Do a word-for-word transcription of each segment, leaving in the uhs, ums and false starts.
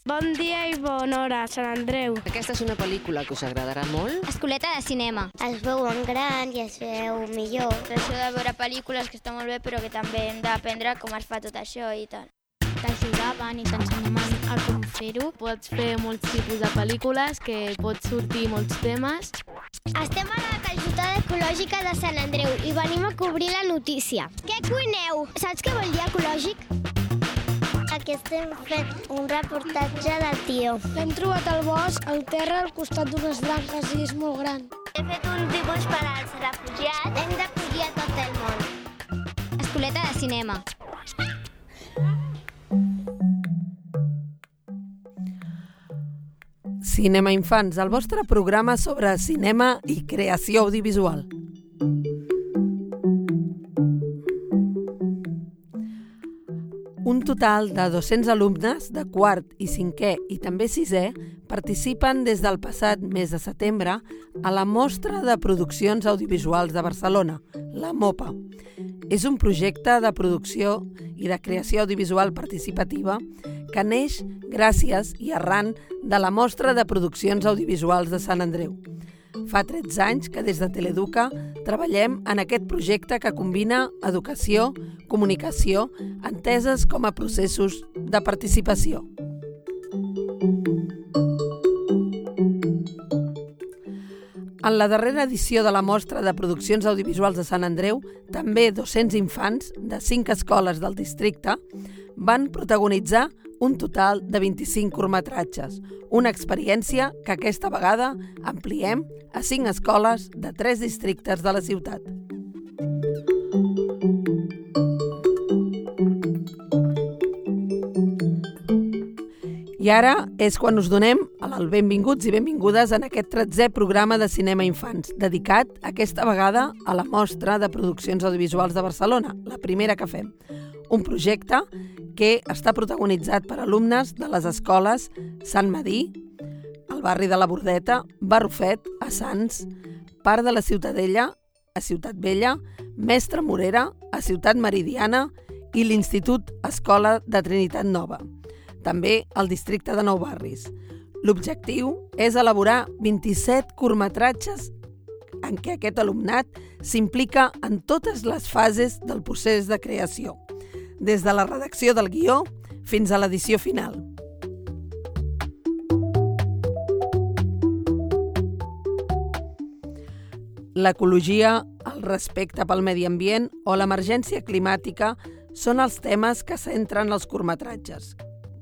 Bon dia i bona hora, Sant Andreu. Aquesta és una pel·lícula que us agradarà molt. Escoleta de cinema. Es veu en gran i es veu millor. Això de veure pel·lícules que està molt bé, però que també hem d'aprendre com es fa tot això i tal. T'ajudaven i t'ensenyaven a com fer-ho. Pots fer molts tipus de pel·lícules, que pots sortir molts temes. Estem a la calçotada ecològica de Sant Andreu i venim a cobrir la notícia. Què cuineu? Saps què vol dir ecològic? Aquí estem fent un reportatge del tió. L'hem trobat al bosc, al terra, al costat d'unes branques i és molt gran. He fet un dibuix per als refugiats. Hem d'acollir a tot el món. Escoleta de cinema. Cinema Infants, el vostre programa sobre cinema i creació audiovisual. Un total de dos-cents alumnes de quart i cinquè i també sisè participen des del passat mes de setembre a la Mostra de Produccions Audiovisuals de Barcelona, la MOPA. És un projecte de producció i de creació audiovisual participativa que neix gràcies i arran de la Mostra de Produccions Audiovisuals de Sant Andreu. Fa tretze anys que des de Teleeduca treballem en aquest projecte que combina educació, comunicació, enteses com a processos de participació. En la darrera edició de la Mostra de Produccions Audiovisuals de Sant Andreu, també dos-cents infants de cinc escoles del districte van protagonitzar un total de vint-i-cinc curtmetratges, una experiència que aquesta vegada ampliem a cinc escoles de tres districtes de la ciutat. I ara és quan us donem el benvinguts i benvingudes en aquest tretzè programa de Cinema Infants, dedicat aquesta vegada a la Mostra de Produccions Audiovisuals de Barcelona, la primera que fem. Un projecte que està protagonitzat per alumnes de les escoles Sant Medir, el barri de la Bordeta, Barrufet, a Sants, part de la Ciutadella, a Ciutat Vella, Mestre Morera, a Ciutat Meridiana i l'Institut Escola de Trinitat Nova. També al districte de Nou Barris. L'objectiu és elaborar vint-i-set curtmetratges en què aquest alumnat s'implica en totes les fases del procés de creació, des de la redacció del guió fins a l'edició final. L'ecologia, el respecte pel medi ambient o l'emergència climàtica són els temes que centren els curtmetratges,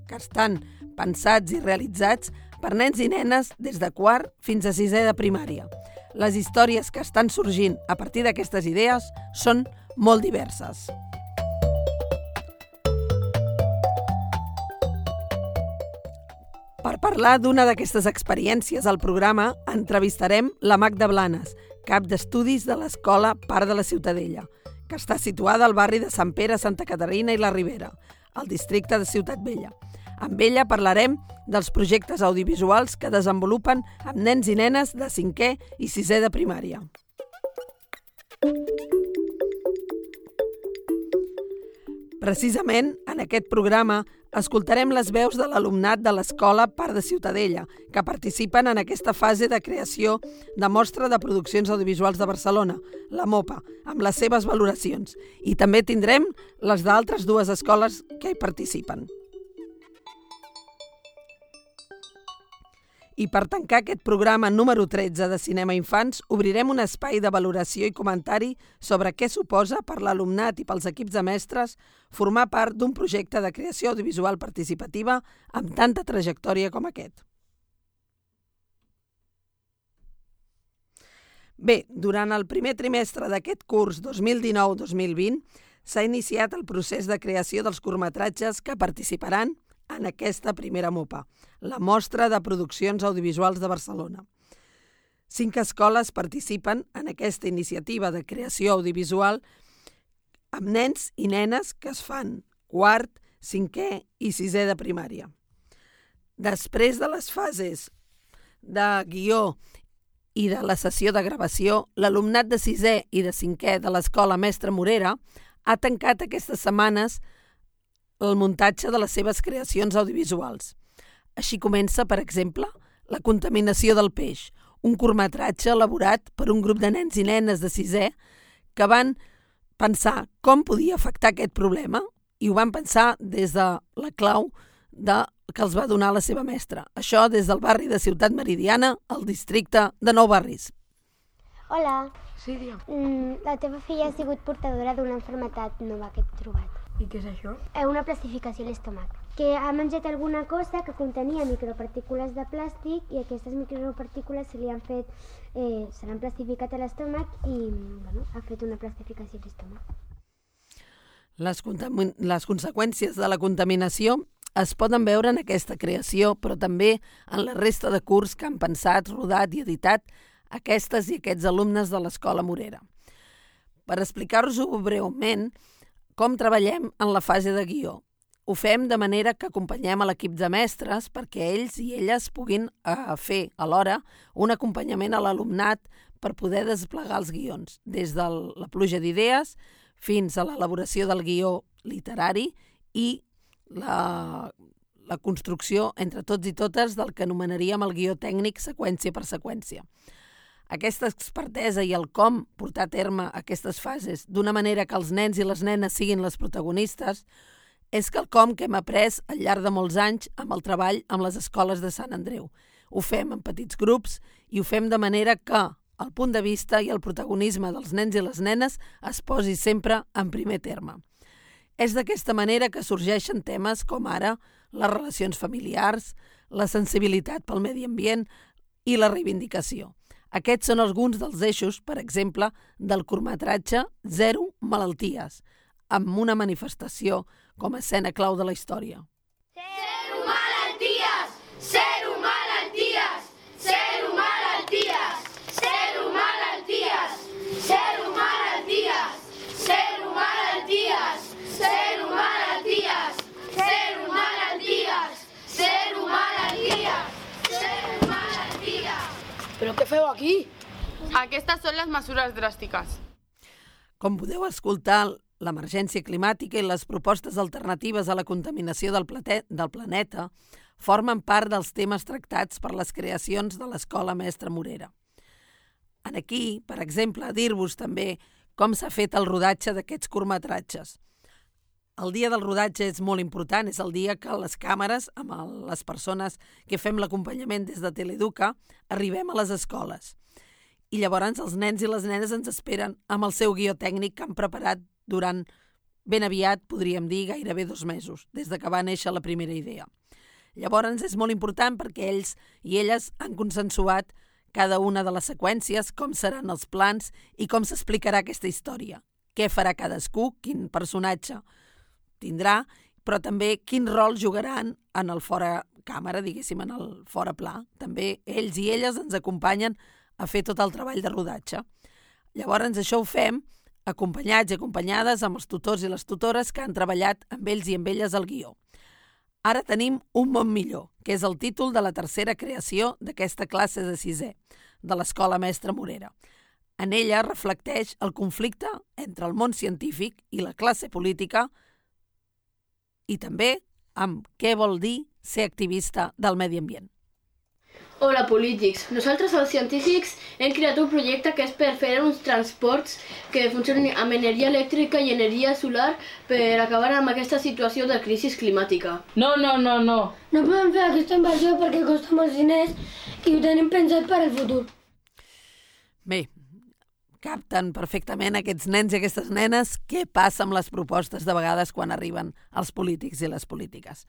que estan pensats i realitzats per nens i nenes des de quart fins a sisè de primària. Les històries que estan sorgint a partir d'aquestes idees són molt diverses. Per parlar d'una d'aquestes experiències al programa, entrevistarem la Magda Blanes, cap d'estudis de l'Escola Part de la Ciutadella, que està situada al barri de Sant Pere, Santa Caterina i la Ribera, al districte de Ciutat Vella. Amb ella parlarem dels projectes audiovisuals que desenvolupen amb nens i nenes de cinquè i sisè de primària. Precisament, en aquest programa, escoltarem les veus de l'alumnat de l'Escola Part de Ciutadella, que participen en aquesta fase de creació de Mostra de Produccions Audiovisuals de Barcelona, la MOPA, amb les seves valoracions. I també tindrem les d'altres dues escoles que hi participen. I per tancar aquest programa número tretze de Cinema Infants, obrirem un espai de valoració i comentari sobre què suposa per l'alumnat i pels equips de mestres formar part d'un projecte de creació audiovisual participativa amb tanta trajectòria com aquest. Bé, durant el primer trimestre d'aquest curs dos mil dinou dos mil vint s'ha iniciat el procés de creació dels curtmetratges que participaran en aquesta primera MOPA, la Mostra de Produccions Audiovisuals de Barcelona. Cinc escoles participen en aquesta iniciativa de creació audiovisual amb nens i nenes que es fan quart, cinquè i sisè de primària. Després de les fases de guió i de la sessió de gravació, l'alumnat de sisè i de cinquè de l'Escola Mestre Morera ha tancat aquestes setmanes el muntatge de les seves creacions audiovisuals. Així comença, per exemple, La contaminació del peix, un curtmetratge elaborat per un grup de nens i nenes de sisè que van pensar com podia afectar aquest problema i ho van pensar des de la clau de, que els va donar la seva mestra. Això des del barri de Ciutat Meridiana, al districte de Nou Barris. Hola. Sí, dia. Mm, la teva filla ha sigut portadora d'una malaltia nova que he trobat. I què és això? Eh, una plastificació a l'estómac. Que ha menjat alguna cosa que contenia micropartícules de plàstic i aquestes micropartícules se li han fet, eh, se l'han plastificat a l'estómac i bueno, ha fet una plastificació a l'estómac. Les, les conseqüències de la contaminació es poden veure en aquesta creació, però també en la resta de curs que han pensat, rodat i editat aquestes i aquests alumnes de l'Escola Morera. Per explicar-vos-ho breument, com treballem en la fase de guió. Ho fem de manera que acompanyem a l'equip de mestres perquè ells i elles puguin eh, fer alhora un acompanyament a l'alumnat per poder desplegar els guions, des de la pluja d'idees fins a l'elaboració del guió literari i la, la construcció entre tots i totes del que anomenaríem el guió tècnic seqüència per seqüència. Aquesta expertesa i el com portar a terme aquestes fases d'una manera que els nens i les nenes siguin les protagonistes és quelcom que hem après al llarg de molts anys amb el treball amb les escoles de Sant Andreu. Ho fem en petits grups i ho fem de manera que el punt de vista i el protagonisme dels nens i les nenes es posi sempre en primer terme. És d'aquesta manera que sorgeixen temes com ara les relacions familiars, la sensibilitat pel medi ambient i la reivindicació. Aquests són alguns dels eixos, per exemple, del curtmetratge Zero Malalties, amb una manifestació com a escena clau de la història. Zero malalties! Zero malalties! Zero malalties! Zero malalties! Zero malalties! Zero malalties! Zero malalties! Zero malalties! Zero malalties! Zero malalties! Però què feu aquí? Aquestes són les mesures dràstiques. Com podeu escoltar, l'emergència climàtica i les propostes alternatives a la contaminació del, plate, del planeta formen part dels temes tractats per les creacions de l'Escola Mestre Morera. En aquí, per exemple, dir-vos també com s'ha fet el rodatge d'aquests curtmetratges. El dia del rodatge és molt important, és el dia que les càmeres, amb les persones que fem l'acompanyament des de Teleeduca, arribem a les escoles. I llavors els nens i les nenes ens esperen amb el seu guió tècnic que han preparat durant ben aviat, podríem dir, gairebé dos mesos, des de que va néixer la primera idea. Llavors és molt important perquè ells i elles han consensuat cada una de les seqüències, com seran els plans i com s'explicarà aquesta història. Què farà cadascú, quin personatge tindrà, però també quin rol jugaran en el fora càmera, diguéssim, en el fora pla. També ells i elles ens acompanyen a fer tot el treball de rodatge. Llavors això ho fem acompanyats i acompanyades amb els tutors i les tutores que han treballat amb ells i amb elles al guió. Ara tenim Un món millor, que és el títol de la tercera creació d'aquesta classe de sisè, de l'Escola Mestre Morera. En ella reflecteix el conflicte entre el món científic i la classe política i també amb què vol dir ser activista del medi ambient. Hola, polítics. Nosaltres, els científics, hem creat un projecte que és per fer uns transports que funcionin amb energia elèctrica i energia solar per acabar amb aquesta situació de crisi climàtica. No, no, no, no. No podem fer aquesta inversió perquè costa molts diners i ho tenim pensat per al futur. Bé, capten perfectament aquests nens i aquestes nenes què passa amb les propostes de vegades quan arriben els polítics i les polítiques.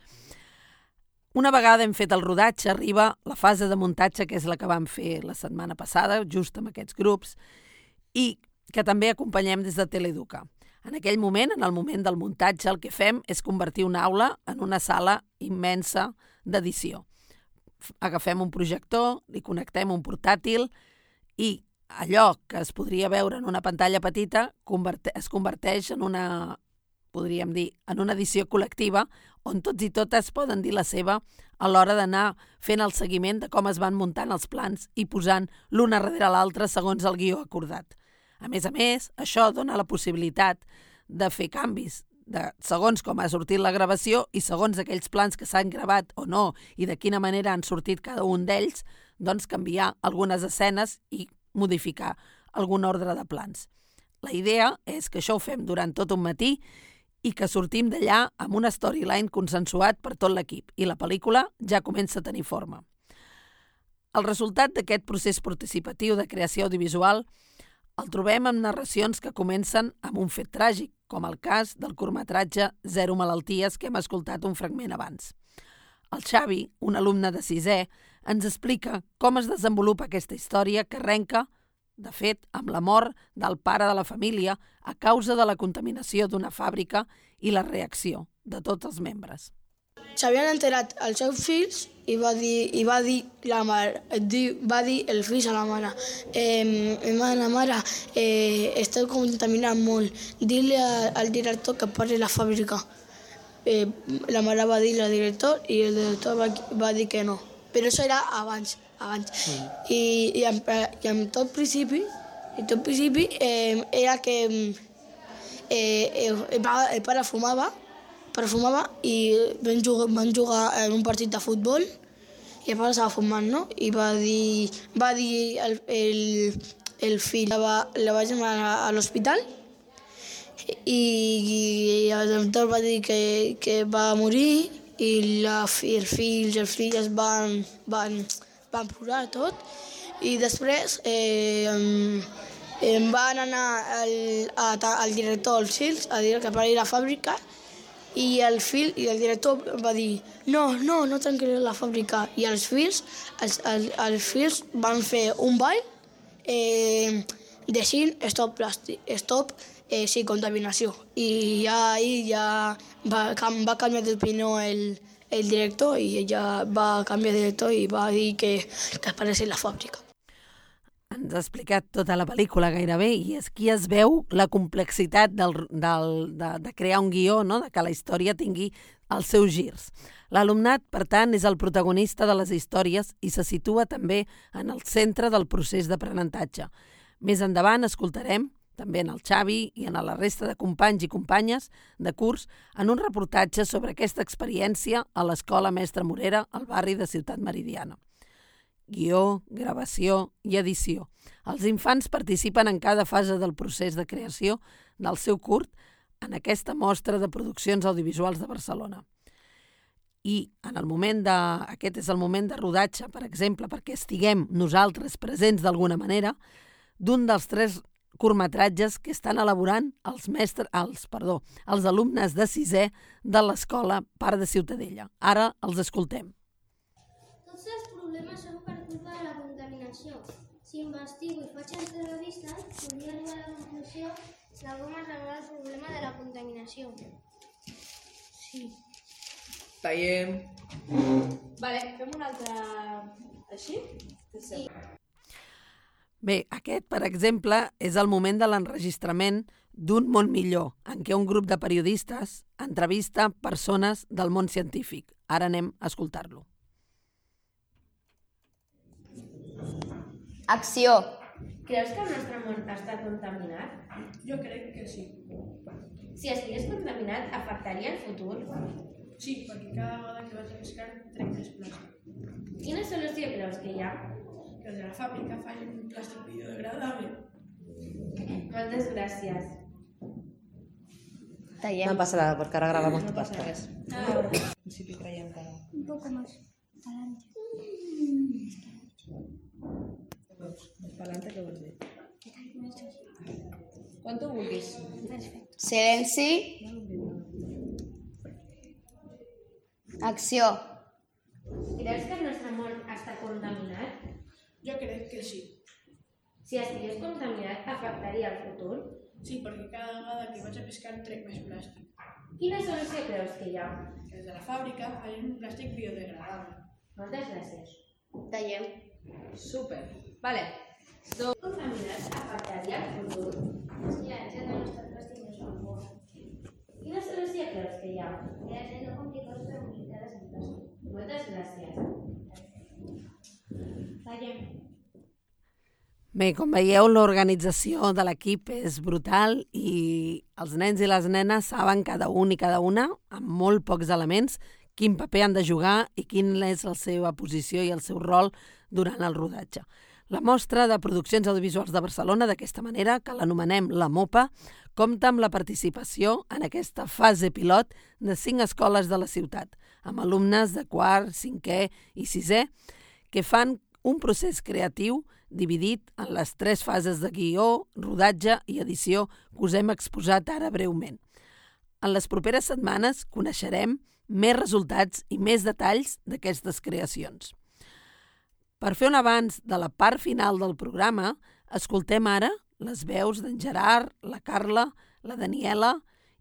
Una vegada hem fet el rodatge, arriba la fase de muntatge, que és la que vam fer la setmana passada, just amb aquests grups, i que també acompanyem des de Teleeduca. En aquell moment, en el moment del muntatge, el que fem és convertir una aula en una sala immensa d'edició. Agafem un projector, li connectem un portàtil i allò que es podria veure en una pantalla petita es converteix en una, podríem dir, en una edició col·lectiva on tots i totes poden dir la seva a l'hora d'anar fent el seguiment de com es van muntant els plans i posant l'una darrere l'altra segons el guió acordat. A més a més, això dona la possibilitat de fer canvis de segons com ha sortit la gravació i segons aquells plans que s'han gravat o no i de quina manera han sortit cada un d'ells, doncs canviar algunes escenes i modificar algun ordre de plans. La idea és que això ho fem durant tot un matí i que sortim d'allà amb una storyline consensuat per tot l'equip i la pel·lícula ja comença a tenir forma. El resultat d'aquest procés participatiu de creació audiovisual el trobem amb narracions que comencen amb un fet tràgic, com el cas del curtmetratge Zero malalties que hem escoltat un fragment abans. El Xavi, un alumne de sisè, ens explica com es desenvolupa aquesta història que arrenca, de fet, amb la mort del pare de la família a causa de la contaminació d'una fàbrica i la reacció de tots els membres. S'havien enterat els seus fills i va dir, i va dir, la mare, va dir el fill a la mare eh, la mare, eh, esteu contaminant molt, dile al director que pari la fàbrica. Eh, la mare va dir al director i el director va, va dir que no, però això era abans, abans. Mm. I, i, en, i en tot principi, en tot principi eh, era que eh, el, el pare fumava, perfumava i van jugar, van jugar en un partit de futbol i el pare estava fumant, no? I va dir, va dir el, el, el fill, la va, la va llamar a l'hospital i, i el doctor va dir que, que va morir i la, els fills i els filles van, van, van plorar tot i després eh, em van anar al, a, al director dels fills a dir que pari la fàbrica i el fill i el director va dir no, no, no tancaré la fàbrica i els fills, els, els, els fills van fer un ball eh, dient stop plàstic, stop eh, sí, contaminació i ja ahí ja va, va canviar d'opinió el, el director i ja va canviar de director i va dir que, que parés la fàbrica. Ens ha explicat tota la pel·lícula gairebé i aquí es veu la complexitat del, del, de, de crear un guió, no? De que la història tingui els seus girs. L'alumnat, per tant, és el protagonista de les històries i se situa també en el centre del procés d'aprenentatge. Més endavant escoltarem, també en el Xavi i en la resta de companys i companyes de curs, en un reportatge sobre aquesta experiència a l'Escola Mestre Morera, al barri de Ciutat Meridiana. Guió, gravació i edició. Els infants participen en cada fase del procés de creació del seu curt en aquesta mostra de produccions audiovisuals de Barcelona. I en el moment de, aquest és el moment de rodatge, per exemple, perquè estiguem nosaltres presents d'alguna manera, d'un dels tres curtmetratges que estan elaborant els, mestres, els, perdó, els alumnes de sisè de l'Escola Parc de Ciutadella. Ara els escoltem. Tots els problemes són per culpa de la contaminació. Si investigo i faig entrevistes, podria arribar a la conclusió de com es regula el problema de la contaminació. Sí. Tallem. Vale, fem un altre així? Sí. Bé, aquest, per exemple, és el moment de l'enregistrament d'Un món millor, en què un grup de periodistes entrevista persones del món científic. Ara anem a escoltar-lo. Acció. Creus que el nostre món està contaminat? Jo crec que sí. Si estigués contaminat, afectaria el futur? Sí, perquè cada vegada que vaig a pescar trec més plàstic. Quina solució creus que hi ha? Que els de la fàbrica facin un plàstic biodegradable. Moltes gràcies. No pasa nada, porque ahora grabamos tu pasta. Ah, en principi creiem que no. Un poco más. Adelante. Més pa'lante, què vols dir? Quan tu vulguis. Silenci. Acció. Creus que el nostre món està contaminat? Jo crec que sí. Si estigués contaminat, afectaria el futur? Sí, perquè cada vegada que vaig a pescar trec més plàstic. Quina solució creus que hi ha? Que els de la fàbrica facin un plàstic biodegradable. Moltes gràcies. Tallem. Súper. Vale. Do... Contaminat afectaria el futur? Sí, ja no està el plàstic més bo. Quina solució creus que hi ha? Que ha de no complicar les comunicades en plàstic. Moltes gràcies. Tallem. Bé, com veieu, l'organització de l'equip és brutal i els nens i les nenes saben cada un i cada una, amb molt pocs elements, quin paper han de jugar i quina és la seva posició i el seu rol durant el rodatge. La Mostra de Produccions Audiovisuals de Barcelona, d'aquesta manera, que l'anomenem la MOPA, compta amb la participació en aquesta fase pilot de cinc escoles de la ciutat, amb alumnes de quart, cinquè i sisè, que fan un procés creatiu dividit en les tres fases de guió, rodatge i edició que us hem exposat ara breument. En les properes setmanes coneixerem més resultats i més detalls d'aquestes creacions. Per fer un avanç de la part final del programa, escoltem ara les veus d'en Gerard, la Carla, la Daniela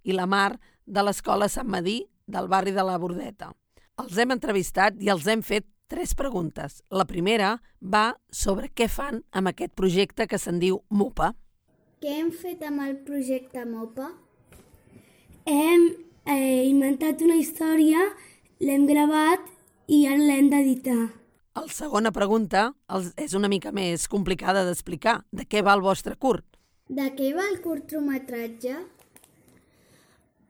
i la Mar de l'Escola Sant Medir del barri de la Bordeta. Els hem entrevistat i els hem fet tres preguntes. La primera va sobre què fan amb aquest projecte que se'n diu MOPA. Què hem fet amb el projecte MOPA? Hem eh, inventat una història, l'hem gravat i ara l'hem d'editar. La segona pregunta és una mica més complicada d'explicar. De què va el vostre curt? De què va el curtmetratge?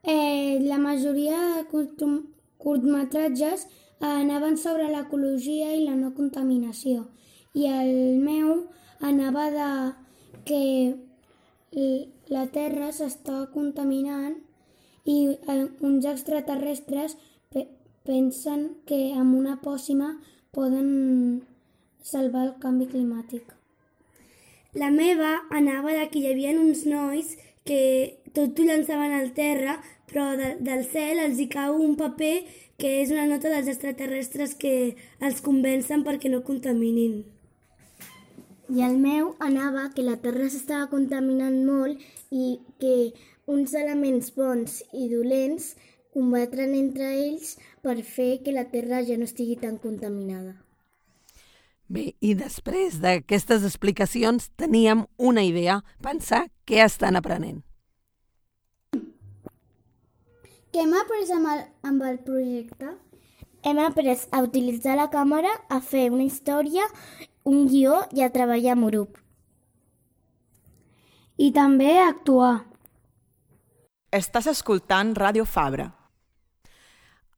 Eh, la majoria de curtmetratges curtmetratges anaven sobre l'ecologia i la no contaminació. I el meu anava de que la Terra s'està contaminant i uns extraterrestres pe pensen que amb una pòcima poden salvar el canvi climàtic. La meva anava de que hi havia uns nois que tot ho llançaven al terra, però de, del cel els hi cau un paper que és una nota dels extraterrestres que els convencen perquè no contaminin. I el meu anava que la Terra s'estava contaminant molt i que uns elements bons i dolents combatran entre ells per fer que la Terra ja no estigui tan contaminada. Bé, i després d'aquestes explicacions teníem una idea, pensar què estan aprenent. Què hem après amb el, amb el projecte? Hem après a utilitzar la càmera, a fer una història, un guió i a treballar en grup. I també a actuar. Estàs escoltant Ràdio Fabra.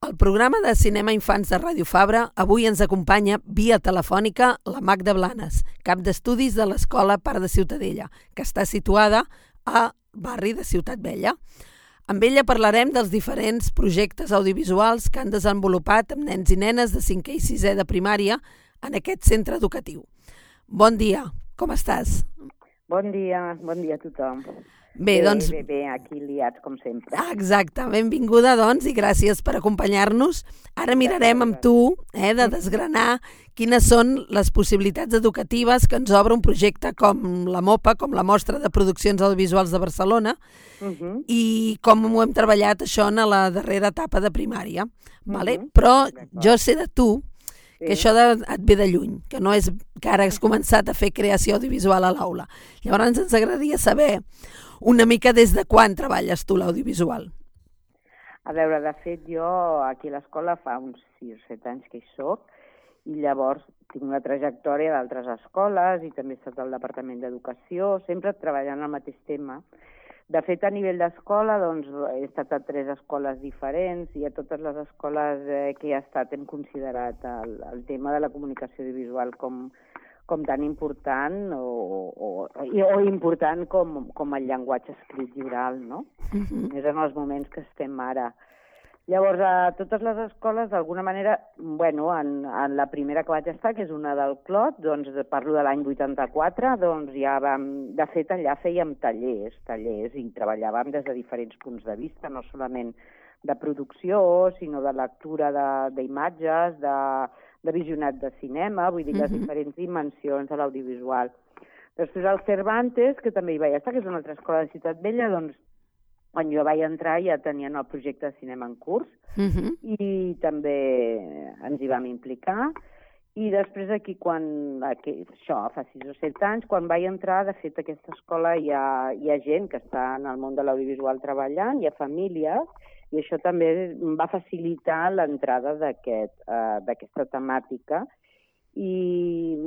Al programa de Cinema Infants de Ràdio Fabra avui ens acompanya via telefònica la Magda Blanes, cap d'estudis de l'Escola Parc de Ciutadella, que està situada al barri de Ciutat Vella. Amb ella parlarem dels diferents projectes audiovisuals que han desenvolupat amb nens i nenes de cinquè i sisè de primària en aquest centre educatiu. Bon dia, com estàs? Bon dia, bon dia a tothom. Bé, doncs... Bé, bé, aquí liats, com sempre. Exacte, benvinguda, doncs, i gràcies per acompanyar-nos. Ara mirarem amb tu eh, de desgranar quines són les possibilitats educatives que ens obre un projecte com la MOPA, com la Mostra de Produccions Audiovisuals de Barcelona, uh-huh. i com ho hem treballat això en la darrera etapa de primària. Vale? Uh-huh. Però jo sé de tu que això de, et ve de lluny, que no és que ara has començat a fer creació audiovisual a l'aula. Llavors ens agradaria saber una mica des de quan treballes tu l'audiovisual. A veure, de fet, jo aquí a l'escola fa uns sis o set anys que hi soc i llavors tinc una trajectòria d'altres escoles i també he estat al Departament d'Educació, sempre treballant al mateix tema. De fet, a nivell d'escola, doncs, he estat a tres escoles diferents i a totes les escoles eh, que he estat hem considerat el, el tema de la comunicació audiovisual com, com tan important o, o, o important com, com el llenguatge escrit i oral, no? Uh-huh. És en els moments que estem ara. Llavors, a totes les escoles, d'alguna manera, bueno, en, en la primera que vaig estar, que és una del Clot, doncs parlo de l'any vuitanta-quatre, doncs ja vam, de fet, allà fèiem tallers, tallers, i treballàvem des de diferents punts de vista, no solament de producció, sinó de lectura d'imatges, de, de visionat de cinema, vull dir, les uh-huh. diferents dimensions de l'audiovisual. Després el Cervantes, que també hi vaig estar, que és una altra escola de Ciutat Vella, doncs quan jo vaig entrar ja tenien el projecte de cinema en curs uh-huh. i també ens hi vam implicar. I després aquí, quan, aquí, això, fa sis o set anys, quan vaig entrar, de fet, a aquesta escola hi ha, hi ha gent que està en el món de l'audiovisual treballant, hi ha famílies, i això també va facilitar l'entrada d'aquest, uh, d'aquesta temàtica. I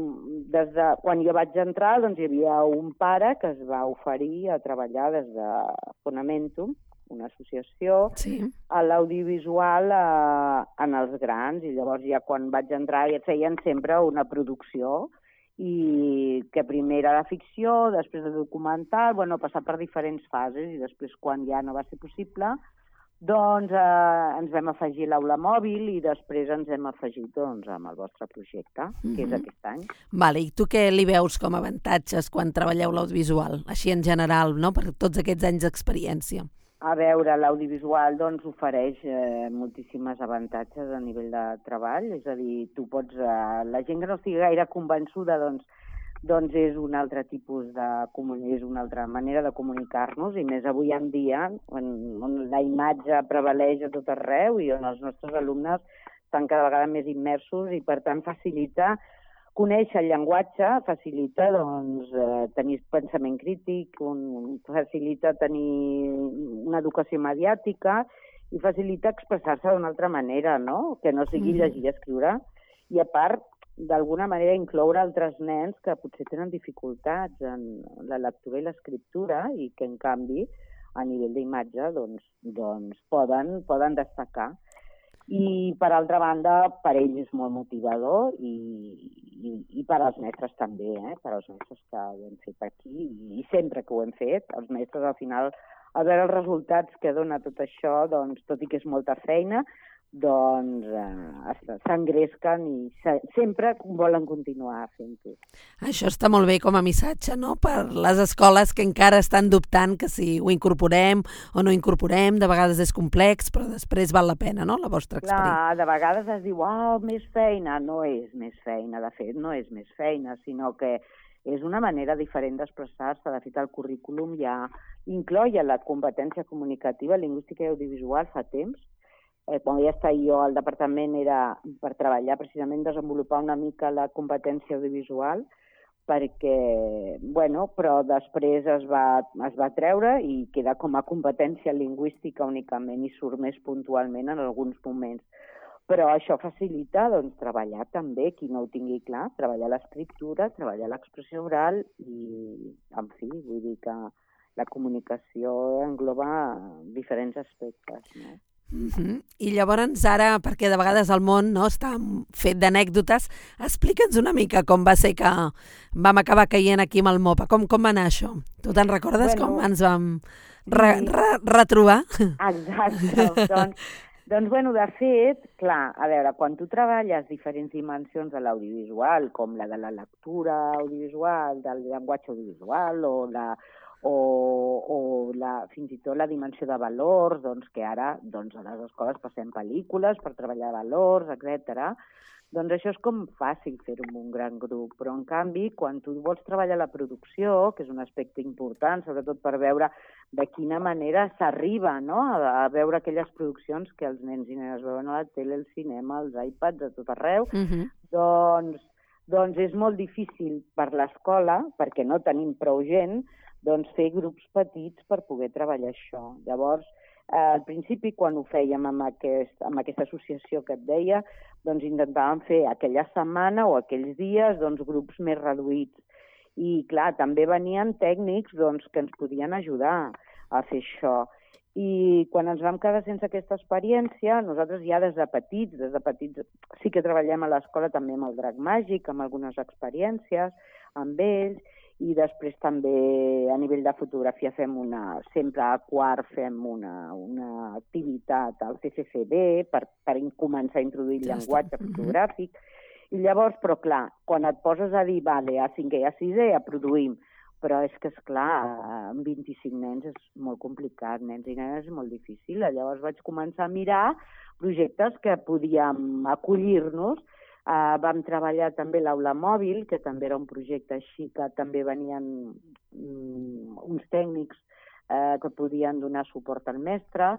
des de, quan jo vaig entrar, doncs, hi havia un pare que es va oferir a treballar des de Fonamentum, una associació, sí. a l'audiovisual eh, en els grans, i llavors ja quan vaig entrar ja et feien sempre una producció, i que primer era de ficció, després de documental, bueno, passar per diferents fases, i després quan ja no va ser possible, doncs eh, ens vam afegir l'aula mòbil i després ens hem afegit doncs, amb el vostre projecte, que mm-hmm. és aquest any. Vale, i tu què li veus com a avantatges quan treballeu l'audiovisual, així en general, no? Per tots aquests anys d'experiència? A veure, l'audiovisual doncs, ofereix eh, moltíssimes avantatges a nivell de treball, és a dir, tu pots, eh, la gent que no estigui gaire convençuda doncs, doncs és un altre tipus de és una altra manera de comunicar-nos, i més avui en dia, on, on la imatge prevaleix a tot arreu i on els nostres alumnes estan cada vegada més immersos i per tant facilita conèixer el llenguatge, facilita doncs, eh, tenir pensament crític, un, facilita tenir una educació mediàtica i facilita expressar-se d'una altra manera, no? Que no sigui mm. llegir i escriure. I a part, d'alguna manera, incloure altres nens que potser tenen dificultats en la lectura i l'escriptura i que, en canvi, a nivell d'imatge, doncs, doncs poden, poden destacar. I, per altra banda, per ells és molt motivador i, i, i per als mestres també, eh? Per als mestres que ho hem fet aquí i, i sempre que ho hem fet, els mestres al final, al veure els resultats que dona tot això, doncs, tot i que és molta feina, doncs eh, s'engresquen i se, sempre volen continuar fent-ho. Això està molt bé com a missatge, no?, per les escoles que encara estan dubtant que si ho incorporem o no incorporem, de vegades és complex, però després val la pena, no?, la vostra experiència. Clar, de vegades es diu, oh, més feina. No és més feina, de fet, no és més feina, sinó que és una manera diferent d'expressar-se. De fet, el currículum ja incloïa la competència comunicativa, lingüística i audiovisual fa temps. Eh, quan ja estava jo al departament era per treballar, precisament desenvolupar una mica la competència audiovisual, perquè, bueno, però després es va, es va treure i queda com a competència lingüística únicament i surt més puntualment en alguns moments. Però això facilita doncs, treballar també, qui no ho tingui clar, treballar l'escriptura, treballar l'expressió oral i, en fi, vull dir que la comunicació engloba diferents aspectes, no? Uh-huh. I llavors ara, perquè de vegades el món no, està fet d'anècdotes, explica'ns una mica com va ser que vam acabar caient aquí amb el MOPA. Com, com va anar això? Tu te'n recordes bueno, com ens vam re, re, retrobar? Exacte. doncs, doncs, bueno, de fet, clar, a veure, quan tu treballes diferents dimensions de l'audiovisual, com la de la lectura audiovisual, del llenguatge audiovisual o la o, o la, fins i tot la dimensió de valors, doncs, que ara doncs, a les escoles passem pel·lícules per treballar valors, etcètera. Doncs això és com fàcil fer-ho amb un gran grup, però en canvi, quan tu vols treballar la producció, que és un aspecte important, sobretot per veure de quina manera s'arriba, no?, a, a veure aquelles produccions que els nens i nenes veuen a la tele, al cinema, als iPads, a tot arreu, uh-huh. doncs, doncs és molt difícil per l'escola, perquè no tenim prou gent, doncs fer grups petits per poder treballar això. Llavors, eh, al principi, quan ho fèiem amb, aquest, amb aquesta associació que et deia, doncs intentàvem fer aquella setmana o aquells dies doncs, grups més reduïts. I, clar, també venien tècnics doncs, que ens podien ajudar a fer això. I quan ens vam quedar sense aquesta experiència, nosaltres ja des de petits, des de petits sí que treballem a l'escola també amb el Drac Màgic, amb algunes experiències, amb ells, i després també a nivell de fotografia fem una, sempre a quart fem una, una activitat al C C C B per, per començar a introduir el llenguatge fotogràfic. I llavors, però clar, quan et poses a dir, vale, a cinquè i a sisè ja produïm, però és que, esclar, amb vint-i-cinc nens és molt complicat, nens i nenes és molt difícil. Llavors vaig començar a mirar projectes que podíem acollir-nos. Uh, vam treballar també l'aula mòbil, que també era un projecte així, que també venien um, uns tècnics uh, que podien donar suport al mestre,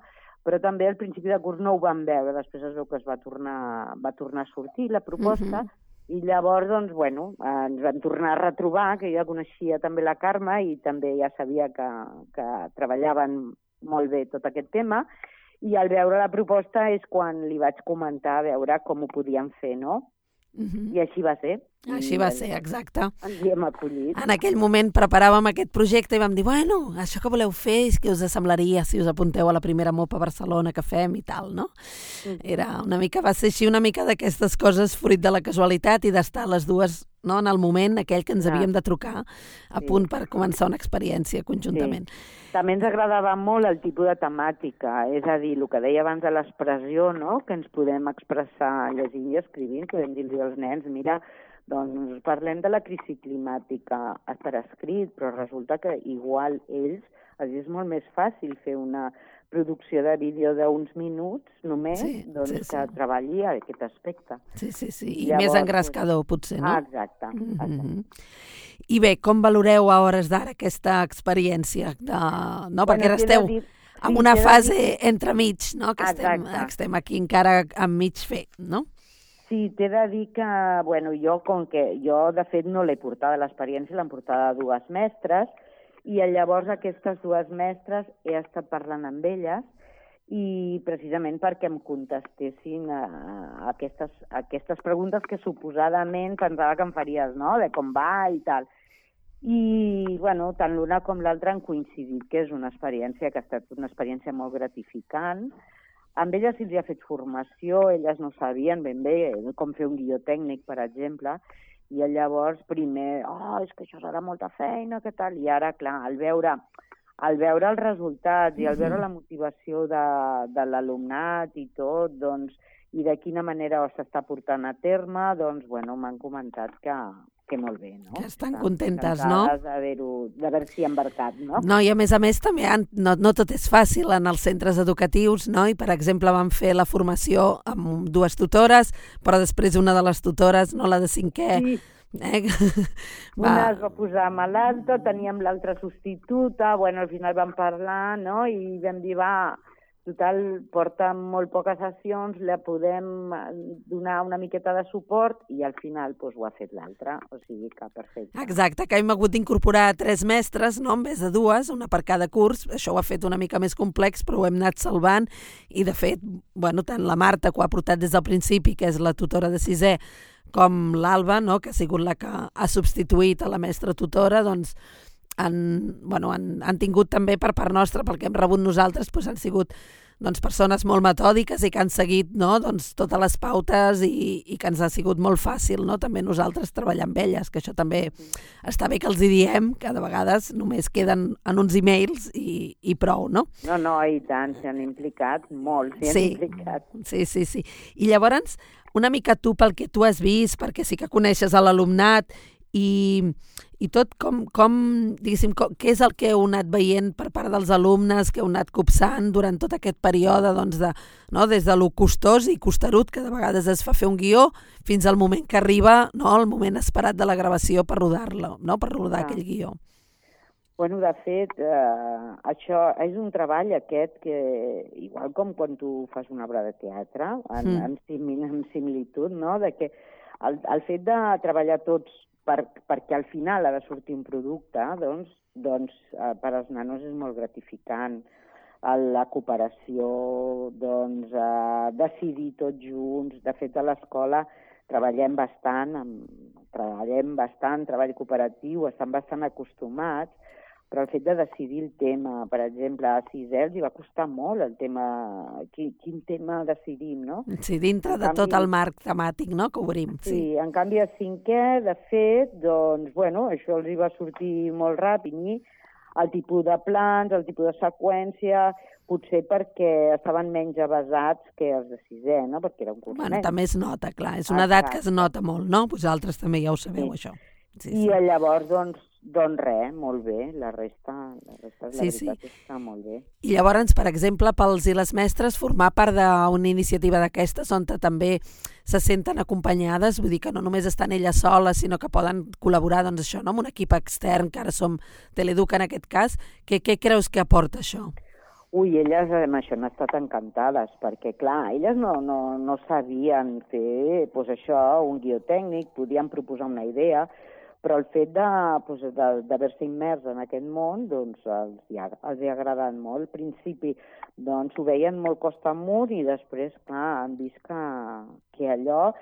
però també al principi de curs no ho vam veure, després es veu que es va tornar, va tornar a sortir la proposta, uh-huh. i llavors, doncs, bueno, uh, ens vam tornar a retrobar, que jo coneixia també la Carme i també ja sabia que, que treballaven molt bé tot aquest tema, i al veure la proposta és quan li vaig comentar a veure com ho podíem fer, no? Mhm. I així va ser. Així I va ens- ser, exacte. Ens hi hem acollit. En aquell moment preparàvem aquest projecte i vam dir, bueno, això que voleu fer és que us semblaria si us apunteu a la primera MOPA a Barcelona que fem i tal, no? Era una mica, va ser així una mica d'aquestes coses fruit de la casualitat i d'estar les dues, no, en el moment aquell que ens Clar. havíem de trucar a Sí. punt per començar una experiència conjuntament. Sí. També ens agradava molt el tipus de temàtica, és a dir, el que deia abans de l'expressió, no? Que ens podem expressar llegint i escrivint, podem dir-los als nens, mira, doncs parlem de la crisi climàtica per escrit, però resulta que igual ells, és molt més fàcil fer una producció de vídeo d'uns minuts només, Sí, doncs sí, sí. que treballi aquest aspecte. Sí, sí, sí, i Llavors, més engrescador, potser, no? Ah, exacte. Mhm. I bé, com valoreu a hores d'ara aquesta experiència? De... No, Bueno, perquè ara t'he de esteu dir- en sí, una t'he de fase dir- entremig, no? Que estem, Exacte. estem aquí encara enmig fer, no? Sí, t'he de dir que, bueno, jo, com que jo, de fet, no l'he portada l'experiència, l'han portada dues mestres, i llavors aquestes dues mestres he estat parlant amb elles, i precisament perquè em contestessin a, a, aquestes, a aquestes preguntes que suposadament pensava que em faries, no?, de com va i tal. I, bueno, tant l'una com l'altra han coincidit que és una experiència que ha estat una experiència molt gratificant. Amb elles se'ls ha fet formació, elles no sabien ben bé com fer un guió tècnic, per exemple, i llavors primer, oh, és que això serà molta feina, què tal? I ara, clar, al veure, al veure els resultats i al veure la motivació de, de l'alumnat i tot, doncs, i de quina manera s'està portant a terme, doncs, bueno, m'han comentat que, que molt bé, no? Que estan contentes, no? d'haver-ho- d'haver-s'hi embarcat, no? No, i a més a més també han, no, no tot és fàcil en els centres educatius, no? I per exemple vam fer la formació amb dues tutores, però després una de les tutores, no la de cinquè, Sí. eh? Una es va posar malalta, teníem l'altra substituta, bueno, al final vam parlar, no?, i vam dir, va, total, porta molt poques sessions, la podem donar una miqueta de suport, i al final doncs, ho ha fet l'altra, o sigui que perfecte. Exacte, que hem hagut d'incorporar tres mestres, no?, en vez de dues, una per cada curs. Això ho ha fet una mica més complex, però ho hem anat salvant, i de fet, bueno, tant la Marta, que ho ha portat des del principi, que és la tutora de sisè, com l'Alba, no?, que ha sigut la que ha substituït a la mestra tutora, doncs han, bueno, han, han tingut també per part nostra, pel que hem rebut nosaltres, doncs han sigut doncs, persones molt metòdiques i que han seguit, no?, doncs, totes les pautes i, i que ens ha sigut molt fàcil, no?, també nosaltres treballar amb elles, que això també està bé que els hi diem, que de vegades només queden en uns e-mails i, i prou, no? No, no, i tant, s'han implicat molt, s'hi han Sí, implicat. sí, sí, sí. I llavors, una mica tu pel que tu has vist, perquè sí que coneixes a l'alumnat i, i tot, com, com diguéssim, com, què és el que heu anat veient per part dels alumnes, que heu anat copsant durant tot aquest període, doncs, de, no, des de lo costós i costerut que de vegades es fa fer un guió, fins al moment que arriba, no, el moment esperat de la gravació per rodar-lo, no, per rodar Ah. aquell guió. Bueno, de fet, eh, això és un treball aquest que, igual com quan tu fas una obra de teatre, en, Mm. en, simil, en similitud, no?, de que el, el fet de treballar tots per, perquè al final ha de sortir un producte, doncs, doncs eh, per als nanos és molt gratificant. El- La cooperació, doncs, eh, decidir tots junts. De fet, a l'escola treballem bastant, amb, treballem bastant, treball cooperatiu, estan bastant acostumats, però el fet de decidir el tema, per exemple, a sisè els hi va costar molt el tema, quin, quin tema decidim, no? Sí, dintre En de tot canvi- el marc temàtic, no?, que obrim. Sí, sí, en canvi a cinquè, de fet, doncs, bueno, això els hi va sortir molt ràpid, i el tipus de plans, el tipus de seqüència, potser perquè estaven menys avasats que els de sisè, no?, perquè era un curs Bueno, menys. també es nota, clar, és una edat que es Exacte. nota molt, no? Vosaltres també ja ho sabeu, Sí. això. Sí, I llavors, doncs, doncs res, molt bé, la resta, la resta la Sí, sí. veritat és que molt bé. I llavors, per exemple, pels i les mestres, formar part d'una iniciativa d'aquestes on també se senten acompanyades, vull dir que no només estan elles soles, sinó que poden col·laborar, doncs això, no?, amb un equip extern, que ara som Teleeduca en aquest cas. Què, què creus que aporta això? Ui, elles amb això han estat encantades, perquè, clar, elles no, no, no sabien fer, doncs això, un guió tècnic, podien proposar una idea, però el fet de, doncs, de, d'haver-se immers en aquest món, doncs, els, hi ha, els hi ha agradat molt. Al principi, doncs, ho veien molt costa amunt i després, clar, han vist que, que allò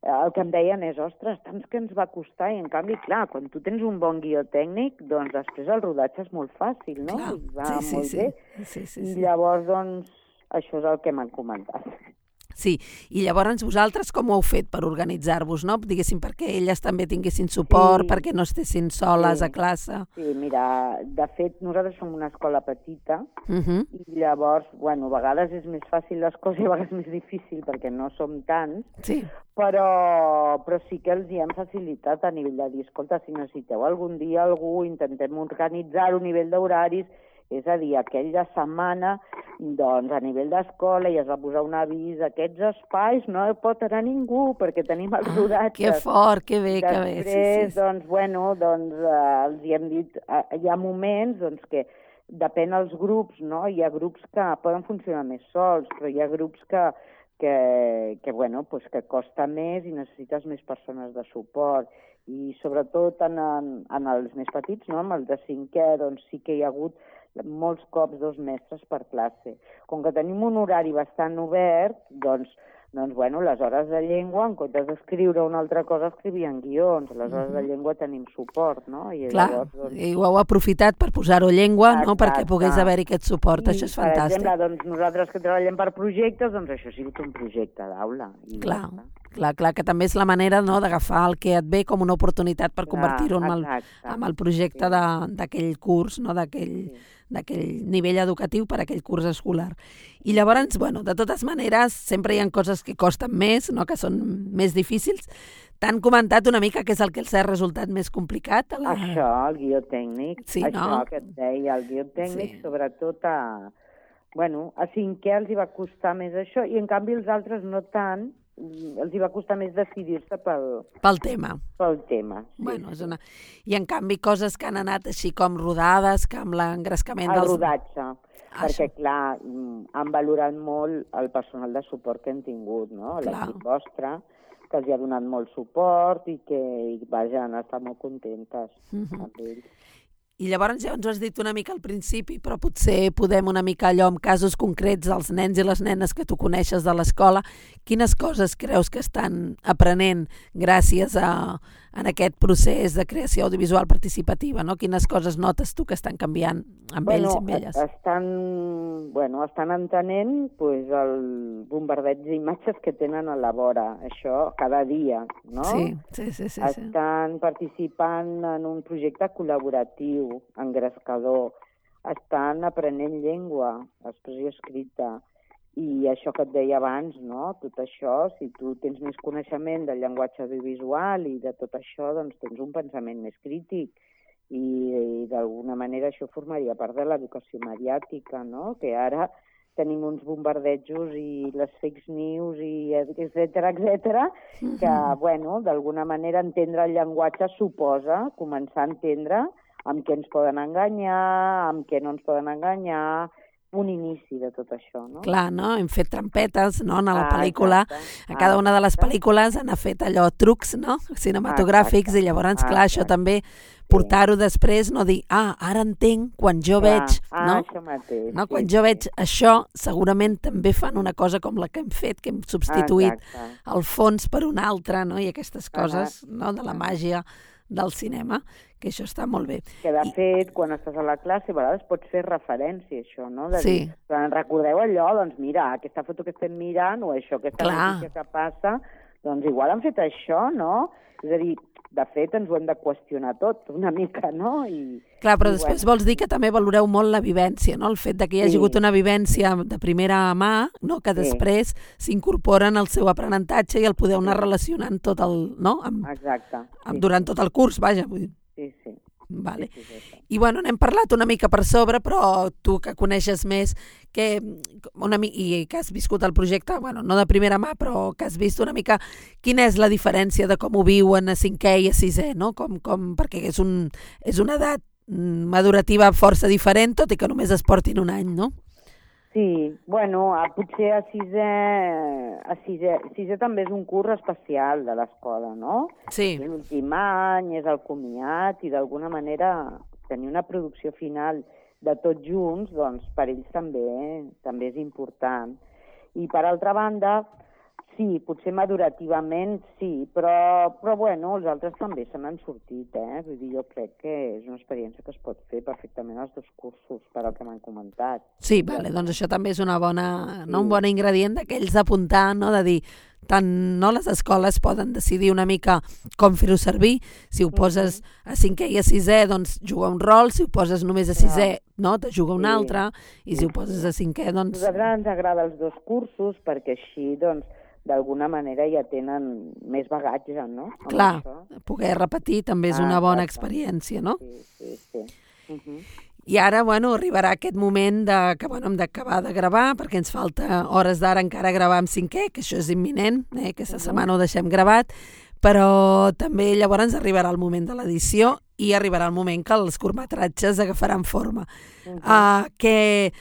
el que em deien és, ostres, tant que ens va costar, i en canvi, clar, quan tu tens un bon guió tècnic, doncs després el rodatge és molt fàcil, no? Clar, I va sí, sí, molt sí. bé. Sí, sí, I sí. llavors, doncs, això és el que m'han comentat. Sí, i llavors vosaltres com ho heu fet per organitzar-vos, no? Diguéssim, perquè elles també tinguessin suport, Sí. perquè no estessin soles Sí. a classe. Sí, mira, de fet, nosaltres som una escola petita, Uh -huh. i llavors, bueno, a vegades és més fàcil les coses i a vegades més difícil perquè no som tants, Sí. però, però sí que els hi hem facilitat a nivell de dir, escolta, si necessiteu algun dia algú, intentem organitzar-ho a nivell d'horaris, és a dir, aquella setmana, doncs, a nivell d'escola ja es va posar un avís, aquests espais no hi pot anar ningú perquè tenim els rodatges. Que fort, que bé, que bé. Després, Sí, sí, sí. doncs, bueno, doncs, eh, els hi hem dit, eh, hi ha moments, doncs, que depèn dels grups, no? Hi ha grups que poden funcionar més sols, però hi ha grups que, que, que bueno, pues que costa més i necessites més persones de suport. I sobretot en, en, en els més petits, no? Amb els de cinquè, doncs sí que hi ha hagut molts cops dos mestres per classe. Com que tenim un horari bastant obert, doncs, doncs bueno, les hores de llengua, en comptes d'escriure una altra cosa, escrivien guions. Les hores de llengua tenim suport, no? I Clar, llavors, doncs... i ho heu aprofitat per posar-ho llengua, no? Exacte. Perquè pogués haver-hi aquest suport, I, això és per fantàstic. exemple, doncs, nosaltres que treballem per projectes, doncs això ha sigut un projecte d'aula. I Clar, ja està. clar, clar, que també és la manera, no?, d'agafar el que et ve com una oportunitat per convertir-ho en, el, exacte. en el projecte Sí. de- d'aquell curs, no?, d'aquell... Sí. d'aquell nivell educatiu per a aquell curs escolar. I llavors, bueno, de totes maneres, sempre hi ha coses que costen més, no?, que són més difícils. T'han comentat una mica què és el que els ha resultat més complicat? A la... Això, el guió tècnic. Sí, això no? que et deia, el guió tècnic, Sí. sobretot a... Bueno, a cinquè els hi va costar més això, i en canvi els altres no tant, els hi va costar més decidir-se pel, Pel tema. pel tema. Sí. Bueno, és una... I en canvi coses que han anat així com rodades, que amb l'engrescament El dels... rodatge, Ah, perquè això. clar, mm, han valorat molt el personal de suport que hem tingut, no? Clar. L'equip vostre, que els hi ha donat molt suport i que, i, vaja, han estat molt contentes Mhm. amb ells. I llavors ja ens ho has dit una mica al principi, però potser podem una mica allò amb casos concrets dels nens i les nenes que tu coneixes de l'escola. Quines coses creus que estan aprenent gràcies a, en aquest procés de creació audiovisual participativa, no? Quines coses notes tu que estan canviant amb ells i amb elles? Estan, bueno, estan entenent pues, el bombardeig d'imatges que tenen a la vora, això cada dia, no? Sí, sí, sí, sí, sí. Estan participant en un projecte col·laboratiu, engrescador, estan aprenent llengua, expressió escrita, i això que et deia abans, no? Tot això, si tu tens més coneixement del llenguatge audiovisual i de tot això, doncs tens un pensament més crític, i, i d'alguna manera això formaria part de l'educació mediàtica, no? Que ara tenim uns bombardejos i les fake news i etcètera, etcètera, que, bueno, d'alguna manera entendre el llenguatge suposa començar a entendre amb què ens poden enganyar, amb què no ens poden enganyar, un inici de tot això, no? Clar, no? Hem fet trampetes, no?, en la Ah, pel·lícula. exacte. A cada Ah, una de les exacte. pel·lícules han fet allò, trucs, no?, cinematogràfics, Exacte. i llavors, clar, això Exacte. també portar-ho després, no dir, ah, ara entenc, quan jo Clar. veig, Ah, no? això mateix, no? sí, Quan sí. jo veig això, segurament també fan una cosa com la que hem fet, que hem substituït Exacte. el fons per un altre, no?, i aquestes coses, no?, de la màgia del cinema, que això està molt bé. Que, de fet, quan estàs a la classe, a vegades pots fer referència a això, no? De Sí. dir, quan recordeu allò, doncs mira, aquesta foto que estem mirant, o això, aquesta Clar. notícia que passa, doncs igual han fet això, no? És a dir, de fet, ens ho hem de qüestionar tot, una mica, no? I, Clar, però i, després bueno, vols dir que també valoreu molt la vivència, no? El fet de que hi hagi Sí. hagut una vivència de primera mà, no? Que Sí. després s'incorporen al seu aprenentatge i el podeu anar relacionant tot el, no? Amb, Exacte. amb, durant tot el curs, vaja. Vull dir. Sí, sí. Vale. Sí, sí, sí, sí. I bueno, n'hem parlat una mica per sobre, però tu que coneixes més que una mi i que has viscut el projecte, bueno, no de primera mà, però que has vist una mica quina és la diferència de com ho viuen a cinquè i a sisè, no? Com, com, perquè és, un, és una edat madurativa força diferent, tot i que només es portin un any, no? Sí, bueno, a, potser a sisè, a sisè, sisè també és un curs especial de l'escola, no? Sí. És l'últim any, és el comiat, i d'alguna manera tenir una producció final de tots junts, doncs per ells també també és important. I per altra banda, sí, potser madurativament sí, però, però bueno, els altres també se n'han sortit, eh? Vull dir, jo crec que és una experiència que es pot fer perfectament als dos cursos, per al que m'han comentat. Sí, vale, doncs això també és una bona, no, un bon ingredient d'aquells d'apuntar, no? De dir, tant no, les escoles poden decidir una mica com fer-ho servir, si ho poses a cinquè i a sisè, doncs juga un rol, si ho poses només a sisè, no, te juga un altre, i si ho poses a cinquè, doncs... A nosaltres ens agrada els dos cursos perquè així, doncs, d'alguna manera ja tenen més bagatge, no? Amb Clar, això. poder repetir també és una bona experiència, no? Sí, sí, sí. Uh -huh. I ara, bueno, arribarà aquest moment de, que bueno, hem d'acabar de gravar, perquè ens falta hores d'ara encara gravar amb cinquè, que això és imminent, eh? Aquesta setmana ho deixem gravat, però també llavors arribarà el moment de l'edició i arribarà el moment que els curtmetratges agafaran forma. Uh -huh. uh, que...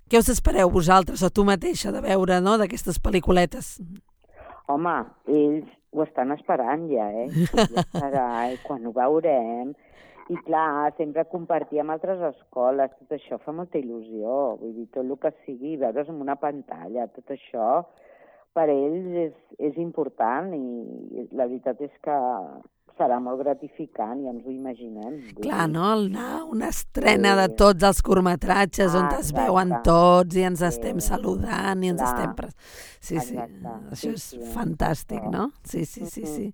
Què us espereu vosaltres, o tu mateixa, de veure, no?, d'aquestes pel·lículetes? Home, ells ho estan esperant ja, eh? Ja serà, i quan ho veurem... I clar, sempre compartir amb altres escoles, tot això fa molta il·lusió. Vull dir, tot el que sigui, veure's en una pantalla, tot això, per ells és, és important i la veritat és que serà molt gratificant, ja ens ho imaginem. Clar, no? Anar una estrena de tots els curtmetratges on es veuen tots i ens estem saludant i ens estem... Sí, sí, això és fantàstic, no? Sí, sí, sí, sí.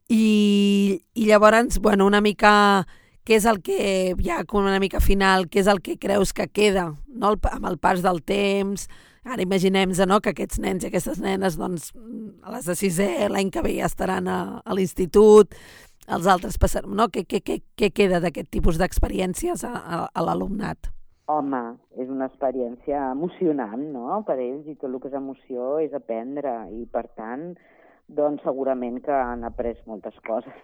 I, i llavors, bueno, una mica, què és el que, ja com una mica final, què és el que creus que queda, no? El, amb el pas del temps, ara imaginem-nos, no?, que aquests nens i aquestes nenes, doncs, a les de sisè, l'any que ve ja estaran a, a l'institut, els altres passaran, no? Què, què, què, què queda d'aquest tipus d'experiències a, a, a l'alumnat? Home, és una experiència emocionant, no?, per ells, i tot el que és emoció és aprendre, i per tant, doncs segurament que han après moltes coses.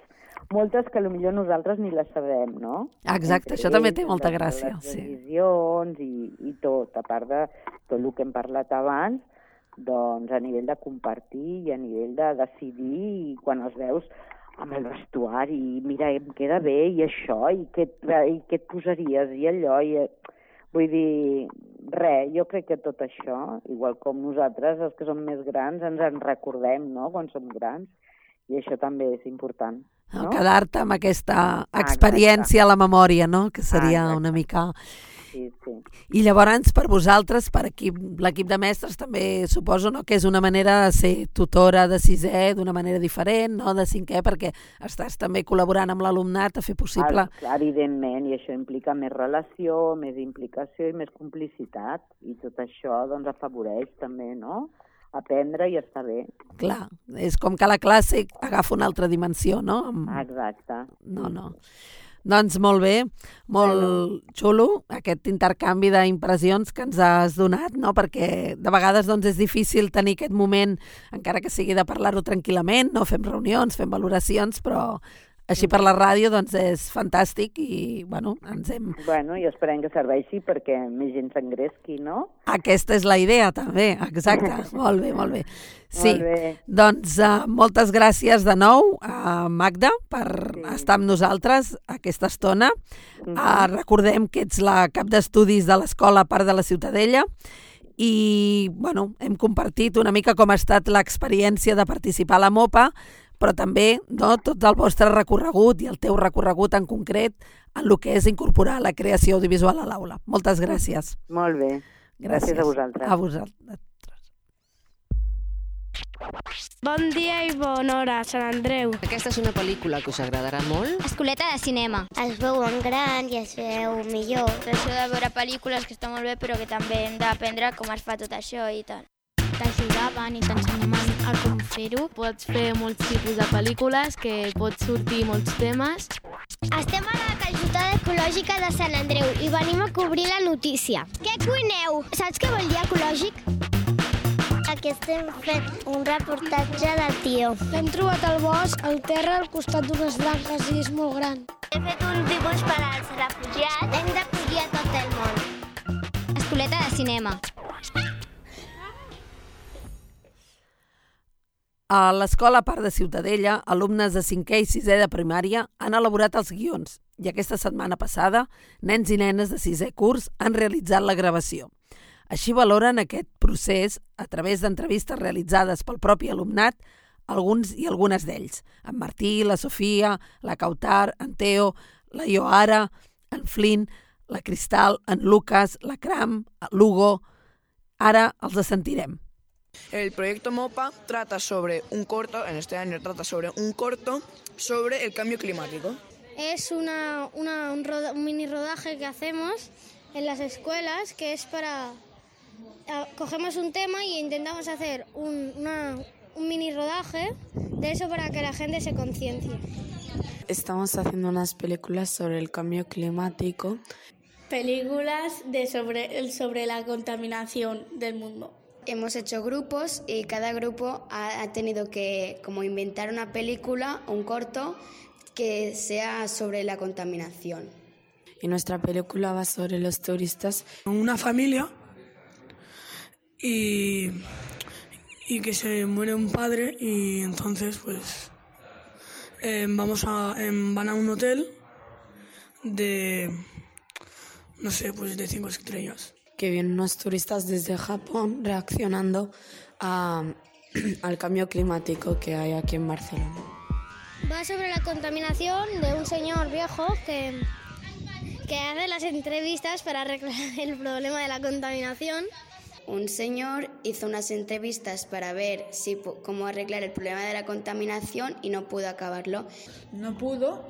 Moltes que potser nosaltres ni les sabem, no? Exacte, això també té molta gràcia. Les decisions i, i tot, a part de tot el que hem parlat abans, doncs a nivell de compartir i a nivell de decidir, i quan els veus amb el vestuari, i mira, em queda bé, i això, i què, i què et posaries, i allò, i... Vull dir, res, jo crec que tot això, igual com nosaltres, els que som més grans, ens en recordem, no?, quan som grans, i això també és important. No? Quedar-te amb aquesta experiència a la memòria, no?, que seria una mica... Sí, sí. I llavors, per vosaltres, per l'equip de mestres, també suposo, no?, que és una manera de ser tutora de sisè d'una manera diferent, no?, de cinquè, perquè estàs també col·laborant amb l'alumnat a fer possible... Clar, evidentment, i això implica més relació, més implicació i més complicitat, i tot això, doncs, afavoreix també, no?, aprendre i estar bé. Clar, és com que la classe agafa una altra dimensió, no? Exacte. No, no. Doncs molt bé, molt xulo aquest intercanvi d'impressions que ens has donat, no? Perquè de vegades doncs, és difícil tenir aquest moment, encara que sigui de parlar-ho tranquil·lament, no? Fem reunions, fem valoracions, però així per la ràdio doncs, és fantàstic i bueno, ens hem... Bueno, i esperem que serveixi perquè més gent s'engresqui, no? Aquesta és la idea també, exacte. Molt bé, molt bé. Sí, molt bé. Doncs uh, moltes gràcies de nou a Magda per sí. estar amb nosaltres aquesta estona. Mm-hmm. Uh, recordem que ets la cap d'estudis de l'escola Parc de la Ciutadella i bueno, hem compartit una mica com ha estat l'experiència de participar a la MOPA, però també no, tot el vostre recorregut i el teu recorregut en concret en el que és incorporar la creació audiovisual a l'aula. Moltes gràcies. Molt bé. Gràcies, gràcies a vosaltres. A vosaltres. Bon dia i bona hora, Sant Andreu. Aquesta és una pel·lícula que us agradarà molt. Escoleta de cinema. Es veuen grans i es veu millor. Això de veure pel·lícules que està molt bé, però que també hem d'aprendre com es fa tot això i tal. T'ajudaven i t'ensenyaven a com fer-ho. Pots fer molts tipus de pel·lícules que pots sortir molts temes. Estem a la calçotada ecològica de Sant Andreu i venim a cobrir la notícia. Què cuineu? Saps què vol dir ecològic? Aquí estem fent un reportatge del tió. L'hem trobat al bosc, al terra, al costat d'unes branques i és molt gran. He fet un dibuix per als refugiats. Hem d'acollir a tot el món. Escoleta de cinema. A l'Escola Parc de Ciutadella, alumnes de cinquè i sisè de primària han elaborat els guions i aquesta setmana passada, nens i nenes de sisè curs han realitzat la gravació. Així valoren aquest procés a través d'entrevistes realitzades pel propi alumnat, alguns i algunes d'ells. En Martí, la Sofia, la Kautar, en Teo, la Ioara, en Flynn, la Cristal, en Lucas, la Cram, l'Hugo. Ara els sentirem. El proyecto MOPA trata sobre un corto, en este año trata sobre un corto sobre el cambio climático. Es una, una, un, roda, un mini rodaje que hacemos en las escuelas, que es para... Cogemos un tema y intentamos hacer un, una, un mini rodaje de eso para que la gente se conciencie. Estamos haciendo unas películas sobre el cambio climático. Películas de sobre, sobre la contaminación del mundo. Hemos hecho grupos y cada grupo ha, ha tenido que como inventar una película, un corto, que sea sobre la contaminación. Y nuestra película va sobre los turistas. Una familia y, y que se muere un padre y entonces pues eh, vamos a, eh, van a un hotel de, no sé, pues de cinco estrellas. Que vienen unos turistas desde Japón reaccionando a, al cambio climático que hay aquí en Barcelona. Va sobre la contaminación de un señor viejo que, que hace las entrevistas para arreglar el problema de la contaminación. Un señor hizo unas entrevistas para ver si, cómo arreglar el problema de la contaminación y no pudo acabarlo. No pudo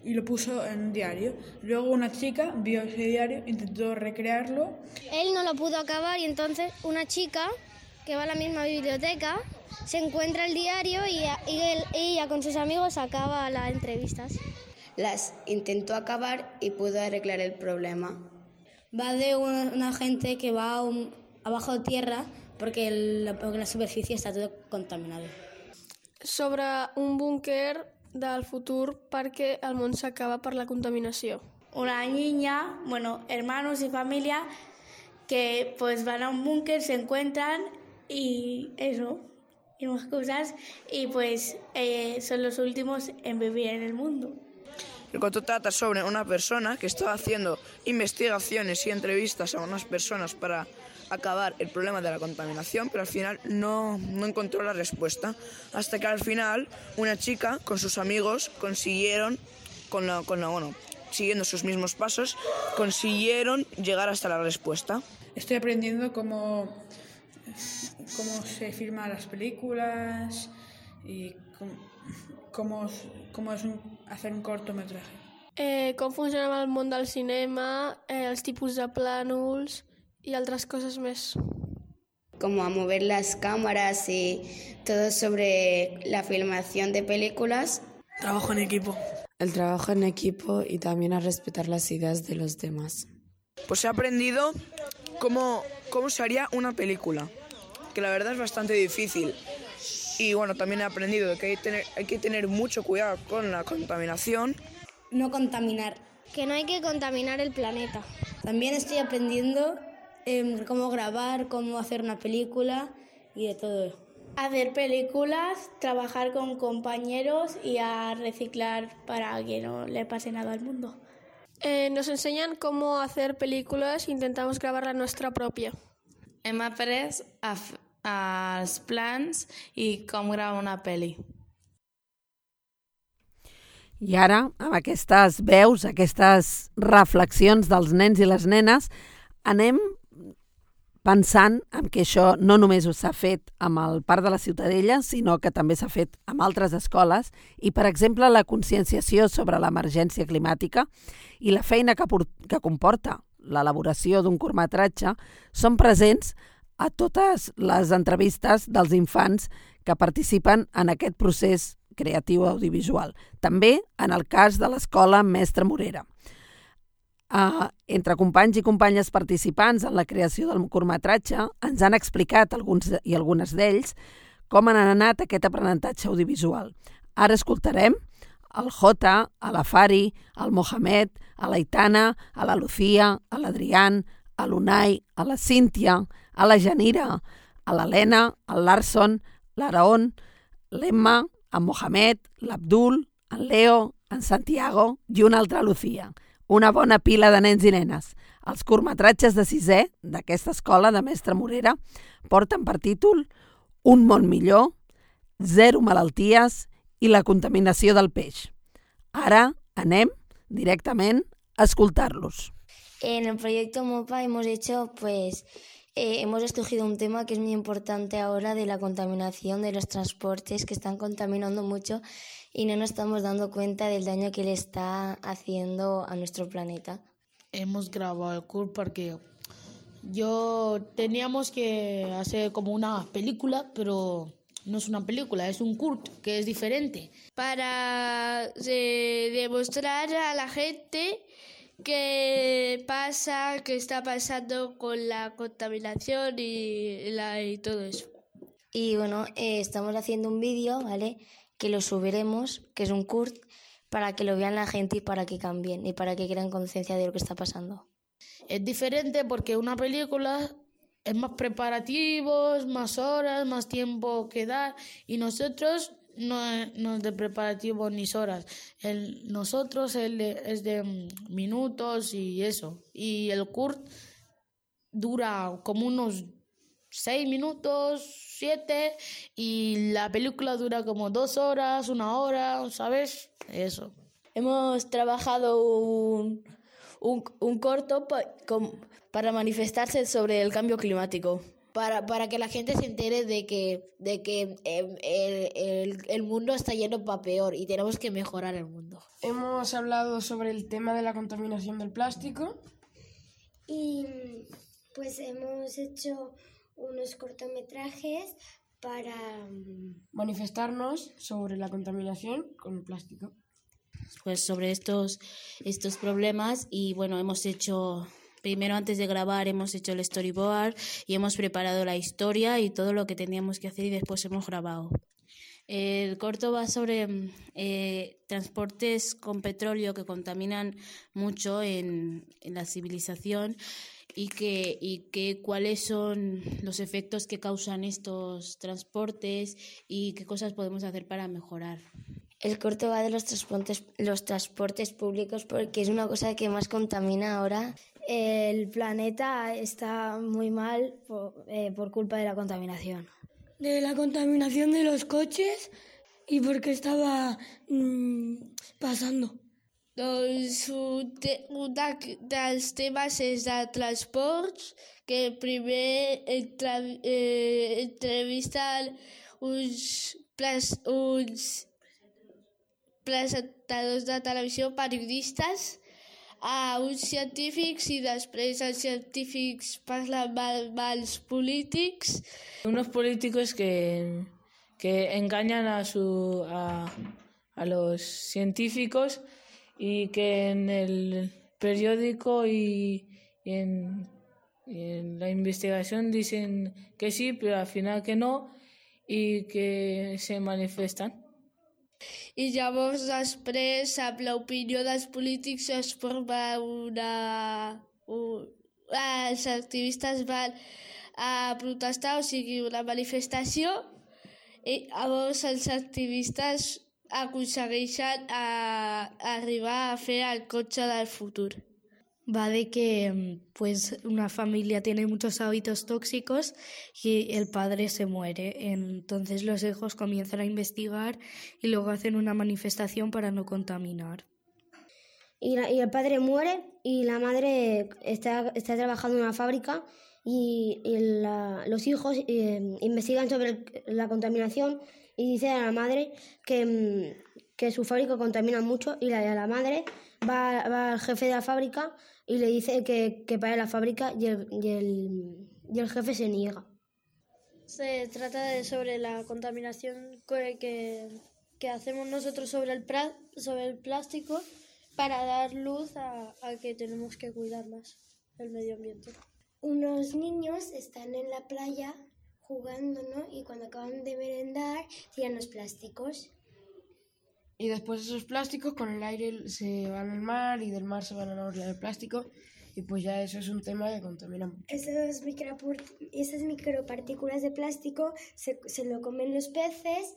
y lo puso en un diario. Luego una chica vio ese diario, intentó recrearlo. Él no lo pudo acabar y entonces una chica que va a la misma biblioteca se encuentra el diario y, y él, ella con sus amigos acaba las entrevistas. Las intentó acabar y pudo arreglar el problema. Va de una, una gente que va a un, abajo de tierra porque, el, porque la superficie está todo contaminado. Sobre un búnquer del futur perquè el món s'acaba per la contaminació. Una niña, bueno, hermanos y familia que pues van a un búnker, se encuentran y eso, y más cosas, y pues eh, son los últimos en vivir en el mundo. El corto trata sobre una persona que estaba haciendo investigaciones y entrevistas a unas personas para acabar el problema de la contaminación, pero al final no, no encontró la respuesta. Hasta que al final una chica con sus amigos consiguieron, con la, con la, bueno, siguiendo sus mismos pasos, consiguieron llegar hasta la respuesta. Estoy aprendiendo cómo, cómo se filman las películas y cómo, cómo, cómo es un, hacer un cortometraje. Eh, com funciona el món del cinema, eh, els tipus de plànols y otras cosas más. Como a mover las cámaras y todo sobre la filmación de películas. Trabajo en equipo. El trabajo en equipo y también a respetar las ideas de los demás. Pues he aprendido cómo, cómo se haría una película, que la verdad es bastante difícil. Y bueno, también he aprendido que hay, tener, hay que tener mucho cuidado con la contaminación. No contaminar. Que no hay que contaminar el planeta. También estoy aprendiendo eh, cómo grabar, cómo hacer una película y de todo. Hacer películas, trabajar con compañeros y a reciclar para que no le pase nada al mundo. Eh, nos enseñan cómo hacer películas e intentamos grabar la nuestra pròpia. Hem après a f- els plans i com gravar una pel·li. I ara, amb aquestes veus, aquestes reflexions dels nens i les nenes, anem pensant en que això no només s'ha fet amb el Parc de la Ciutadella, sinó que també s'ha fet amb altres escoles i, per exemple, la conscienciació sobre l'emergència climàtica i la feina que, que comporta l'elaboració d'un curtmetratge són presents a totes les entrevistes dels infants que participen en aquest procés creatiu audiovisual. També en el cas de l'Escola Mestre Morera. Uh, entre companys i companyes participants en la creació del curtmetratge ens han explicat alguns i algunes d'ells com han anat aquest aprenentatge audiovisual. Ara escoltarem el Jota, a la Fari, al Mohamed, a l'Aitana, a la Lucía, a l'Adrián, a l'Unai, a la Cíntia, a la Janira, a l'Helena, al Larson, l'Araon, l'Emma, en Mohamed, l'Abdul, en Leo, en Santiago i una altra Lucía. Una bona pila de nens i nenes. Els curtmetratges de sisè d'aquesta escola de Mestre Morera porten per títol Un món millor, Zero malalties i la contaminació del peix. Ara anem directament a escoltar-los. En el proyecto MOPA hemos hecho, pues, eh, hemos escogido un tema que es muy importante ahora de la contaminación de los transportes que están contaminando mucho y no nos estamos dando cuenta del daño que le está haciendo a nuestro planeta. Hemos grabado el curt porque yo teníamos que hacer como una película, pero no es una película, es un curt que es diferente. Para eh, demostrar a la gente qué pasa, qué está pasando con la contaminación y, la, y todo eso. Y bueno, eh, estamos haciendo un vídeo, ¿vale?, que lo subiremos, que es un curt, para que lo vean la gente y para que cambien y para que crean conciencia de lo que está pasando. Es diferente porque una película es más preparativos, más horas, más tiempo que dar, y nosotros no es, no es de preparativos ni horas. El, nosotros el de, es de minutos y eso. Y el curt dura como unos seis minutos, siete, y la película dura como dos horas, una hora, ¿sabes? Eso. Hemos trabajado un, un, un corto pa, con, para manifestarse sobre el cambio climático. Para, para que la gente se entere de que, de que eh, el, el, el mundo está yendo para peor y tenemos que mejorar el mundo. Hemos hablado sobre el tema de la contaminación del plástico. Y pues hemos hecho unos cortometrajes para manifestarnos sobre la contaminación con el plástico. Pues sobre estos, estos problemas y bueno, hemos hecho... Primero, antes de grabar, hemos hecho el storyboard y hemos preparado la historia y todo lo que teníamos que hacer y después hemos grabado. El corto va sobre eh, transportes con petróleo que contaminan mucho en, en la civilización y, que, y que cuáles son los efectos que causan estos transportes y qué cosas podemos hacer para mejorar. El corto va de los transportes, los transportes públicos porque es una cosa que más contamina ahora. El planeta está muy mal por, eh, por culpa de la contaminación. De la contaminación de los coches i perquè estava mm, passant. Doncs un, te, un dels temes és de transports, que primer entre, eh, entrevisten uns, pres, uns presentadors de televisió, periodistes, a uns científics i després els científics parlen amb els polítics. Unos políticos que, que engañan a, su, a, a los científicos y que en el periódico y, y, en, y en la investigación dicen que sí, pero al final que no y que se manifestan. I llavors després, amb l'opinió dels polítics, es forma una... Un, els activistes van a protestar, o sigui, una manifestació, i llavors els activistes aconsegueixen a, a arribar a fer el cotxe del futur. Va de que pues, una familia tiene muchos hábitos tóxicos y el padre se muere. Entonces los hijos comienzan a investigar y luego hacen una manifestación para no contaminar. Y, la, y el padre muere y la madre está, está trabajando en una fábrica y, y la, los hijos eh, investigan sobre el, la contaminación y dicen a la madre que, que su fábrica contamina mucho y la, la madre va, va al jefe de la fábrica y le dice que, que pare la fábrica y el, y, el, y el jefe se niega. Se trata de sobre la contaminación que, que, que hacemos nosotros sobre el, pra, sobre el plástico para dar luz a, a que tenemos que cuidar más el medio ambiente. Unos niños están en la playa jugando, ¿no? Y cuando acaban de merendar tiran los plásticos. Y después esos plásticos con el aire se van al mar y del mar se van a la orilla del plástico y pues ya eso es un tema que contamina mucho. Esas, micro, esas micropartículas de plástico se, se lo comen los peces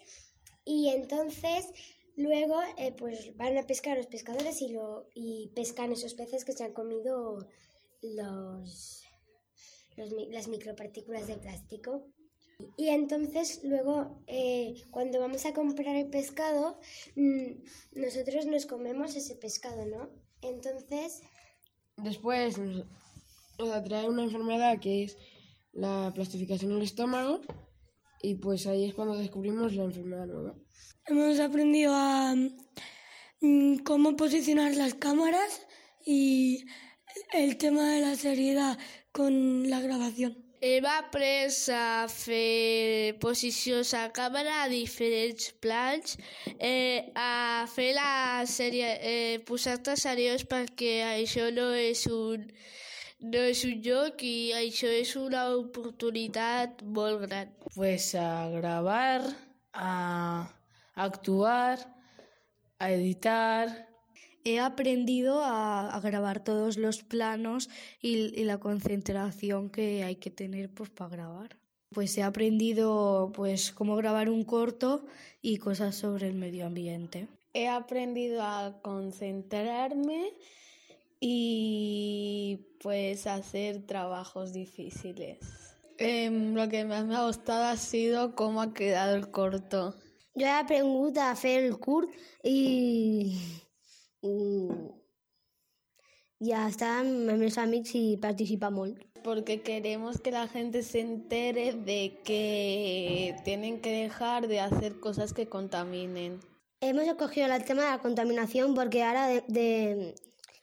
y entonces luego eh, pues van a pescar los pescadores y, lo, y pescan esos peces que se han comido los, los, las micropartículas de plástico. Y entonces luego eh, cuando vamos a comprar el pescado, mmm, nosotros nos comemos ese pescado, ¿no? Entonces... Después nos, nos atrae una enfermedad que es la plastificación del estómago y pues ahí es cuando descubrimos la enfermedad nueva. Hemos aprendido a mmm, cómo posicionar las cámaras y el tema de la seriedad con la grabación. Hem après a fer posicions a càmera a diferents plans, eh, a fer la sèrie, eh, posar-te seriós perquè això no és un no és un joc i això és una oportunitat molt gran. Pues a grabar, a actuar, a editar. He aprendido a, a grabar todos los planos y, y la concentración que hay que tener pues, para grabar. Pues he aprendido pues, cómo grabar un corto y cosas sobre el medio ambiente. He aprendido a concentrarme y pues hacer trabajos difíciles. Eh, lo que más me ha gustado ha sido cómo ha quedado el corto. Yo he aprendido a hacer el curt y... i a estar amb els meus amics i participar molt. Porque queremos que la gente se entere de que tienen que dejar de hacer cosas que contaminen. Hemos escogido el tema de la contaminación porque ahora, de, de,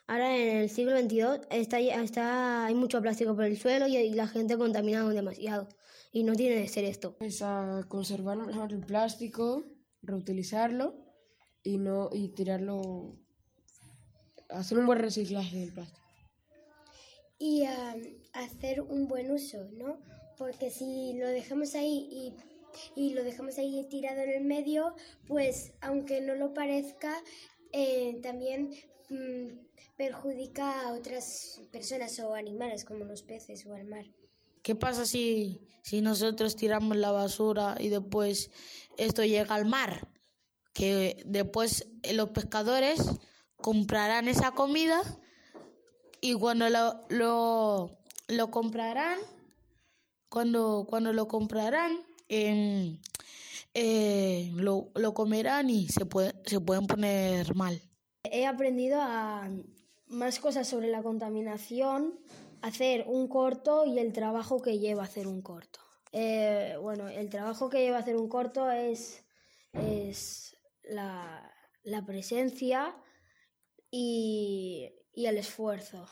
ahora en el siglo veintidós está, está, hay mucho plástico por el suelo y, y la gente contamina demasiado. Y no tiene que ser esto. Pues a conservar mejor el plástico, reutilizarlo y, no, y tirarlo... hacer un buen reciclaje del plástico. Y uh, hacer un buen uso, ¿no? Porque si lo dejamos ahí y, y lo dejamos ahí tirado en el medio, pues aunque no lo parezca, eh, también mmm, perjudica a otras personas o animales como los peces o al mar. ¿Qué pasa si, si nosotros tiramos la basura y después esto llega al mar? Que después los pescadores comprarán esa comida y cuando lo, lo, lo comprarán, cuando, cuando lo comprarán, eh, eh, lo, lo comerán y se, puede, se pueden poner mal. He aprendido a más cosas sobre la contaminación, hacer un corto y el trabajo que lleva hacer un corto. Eh, bueno, el trabajo que lleva hacer un corto es, es la, la presencia Y, y el esfuerzo.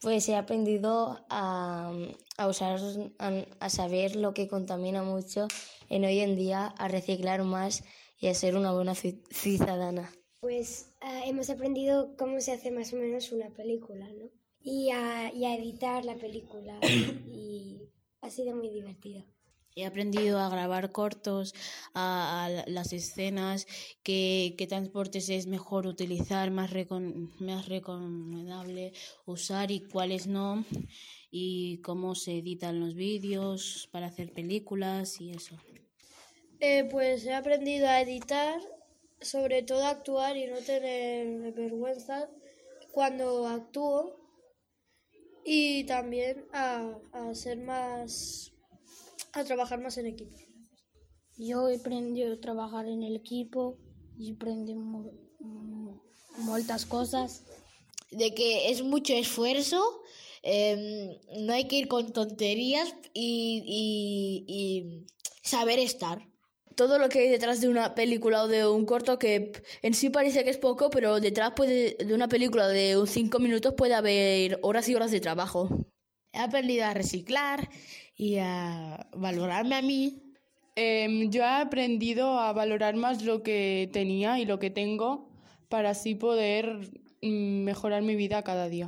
Pues he aprendido a, a usar, a, a saber lo que contamina mucho en hoy en día, a reciclar más y a ser una buena ciudadana. Pues uh, hemos aprendido cómo se hace más o menos una película, ¿no? Y a, y a editar la película y ha sido muy divertido. He aprendido a grabar cortos, a, a las escenas, qué, qué transportes es mejor utilizar, más, recon, más recomendable usar y cuáles no, y cómo se editan los vídeos para hacer películas y eso. Eh, pues he aprendido a editar, sobre todo a actuar y no tener vergüenza cuando actúo, y también a, a ser más... a trabajar más en equipo. Yo he aprendido a trabajar en el equipo y aprendí mo muchas cosas. De que es mucho esfuerzo, eh, no hay que ir con tonterías y, y, y saber estar. Todo lo que hay detrás de una película o de un corto, que en sí parece que es poco, pero detrás puede, de una película de cinco minutos puede haber horas y horas de trabajo. He aprendido a reciclar y a valorarme a mí. Eh, yo he aprendido a valorar más lo que tenía y lo que tengo para así poder mm, mejorar mi vida cada día.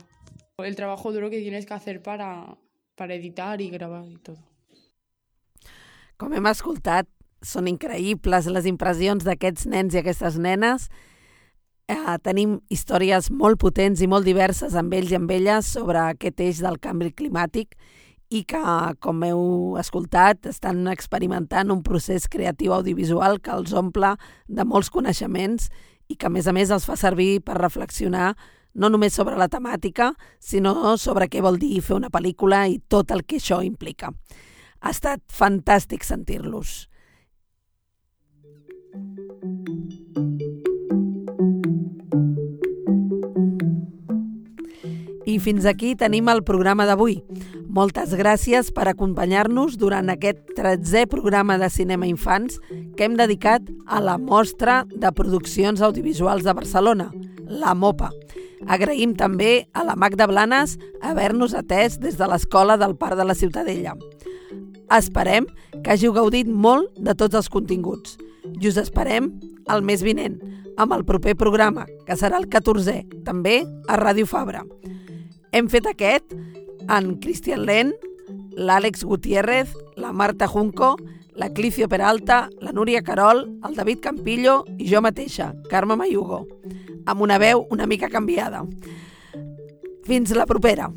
El trabajo duro que tienes que hacer para, para editar i gravar i tot. Com hem escoltat, són increïbles les impressions d'aquests nens i aquestes nenes. Eh, tenim històries molt potents i molt diverses amb ells i amb elles sobre aquest eix del canvi climàtic i que, com heu escoltat, estan experimentant un procés creatiu audiovisual que els omple de molts coneixements i que, a més a més, els fa servir per reflexionar no només sobre la temàtica, sinó sobre què vol dir fer una pel·lícula i tot el que això implica. Ha estat fantàstic sentir-los. I fins aquí tenim el programa d'avui. Moltes gràcies per acompanyar-nos durant aquest tretzè programa de Cinema Infants que hem dedicat a la Mostra de Produccions Audiovisuals de Barcelona, la MOPA. Agraïm també a la Magda Blanes haver-nos atès des de l'Escola del Parc de la Ciutadella. Esperem que hàgiu gaudit molt de tots els continguts i us esperem el mes vinent amb el proper programa, que serà el catorzè, també a Ràdio Fabra. Hem fet aquest en Cristian Len, l'Àlex Gutiérrez, la Marta Junco, la Clicio Peralta, la Núria Carol, el David Campillo i jo mateixa, Carme Mayugo, amb una veu una mica canviada. Fins la propera!